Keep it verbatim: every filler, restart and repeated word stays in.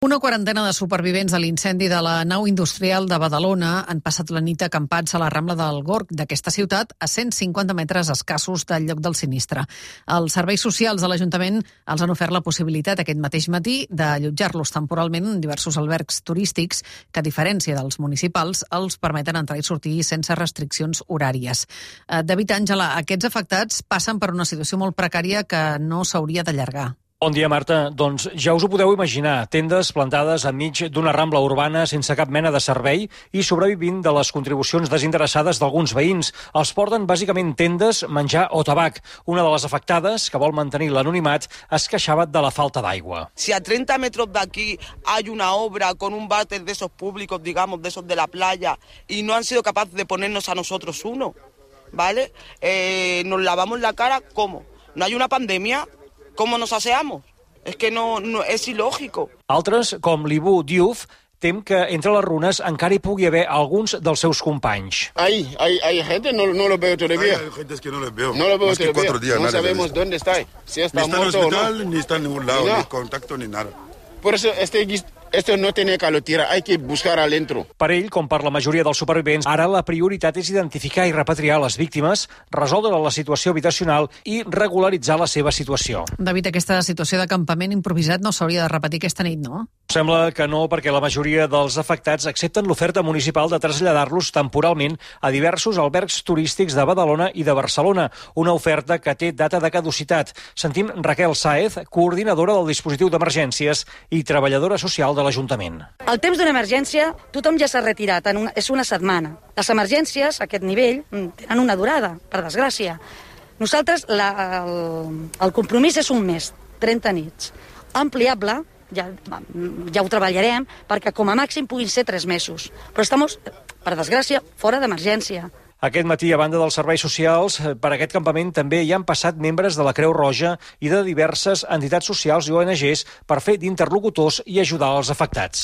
Una quarantena de supervivents de l'incendi de la nau industrial de Badalona han passat la nit acampats a la Rambla del Gorg d'aquesta ciutat, a cent cinquanta metres escassos del lloc del sinistre. Els serveis socials de l'Ajuntament els han ofert la possibilitat aquest mateix matí d'allotjar-los temporalment en diversos albergs turístics que, a diferència dels municipals, els permeten entrar i sortir sense restriccions horàries. David Àngela, aquests afectats passen per una situació molt precària que no s'hauria d'allargar. Bon dia, Marta. Doncs ja us ho podeu imaginar, tendes plantades enmig d'una rambla urbana sense cap mena de servei i sobrevivint de les contribucions desinteressades d'alguns veïns. Els porten bàsicament tendes, menjar o tabac. Una de les afectades, que vol mantenir l'anonimat, es queixava de la falta d'aigua. Si a treinta metros de aquí hay una obra con un váter de esos públicos, digamos, de esos de la playa, y no han sido capaces de ponernos a nosotros uno, ¿vale? Eh, nos lavamos la cara, ¿cómo? ¿No hay una pandemia? ¿Cómo nos aseamos? Es que no, no és ilògico. Altres, com l'Ibu Diouf, tem que entre les runes encara hi pugui haver alguns dels seus companys. Ahí, hay, hay gente, no, no lo veo todavía. Hay gente que no los veo. No lo veo Más que todavía. cuatro días, no nadie sabemos dónde está. Si está, ni está muerto en el hospital, o no. ni está en ningún lado, Ni ni nada. contacto, ni nada. Por eso este, esto no tiene que lo tirar, hay que buscar adentro. Per ell, com per la majoria dels supervivents, ara la prioritat és identificar i repatriar les víctimes, resoldre la situació habitacional i regularitzar la seva situació. David, aquesta situació de campament improvisat no s'hauria de repetir aquesta nit, no? Sembla que no, perquè la majoria dels afectats accepten l'oferta municipal de traslladar-los temporalment a diversos albergs turístics de Badalona i de Barcelona, una oferta que té data de caducitat. Sentim Raquel Sáez, coordinadora del dispositiu d'emergències i treballadora social de l'Ajuntament. El temps d'una emergència, tothom ja s'ha retirat, en una, és una setmana. Les emergències, a aquest nivell, tenen una durada, per desgràcia. Nosaltres, la, el, el compromís és un mes, trenta nits. Ampliable, ja, ja ho treballarem, perquè com a màxim puguin ser tres mesos. Però estem, per desgràcia, fora d'emergència. Aquest matí, a banda dels serveis socials, per aquest campament també hi han passat membres de la Creu Roja i de diverses entitats socials i O N Ges per fer d'interlocutors i ajudar els afectats.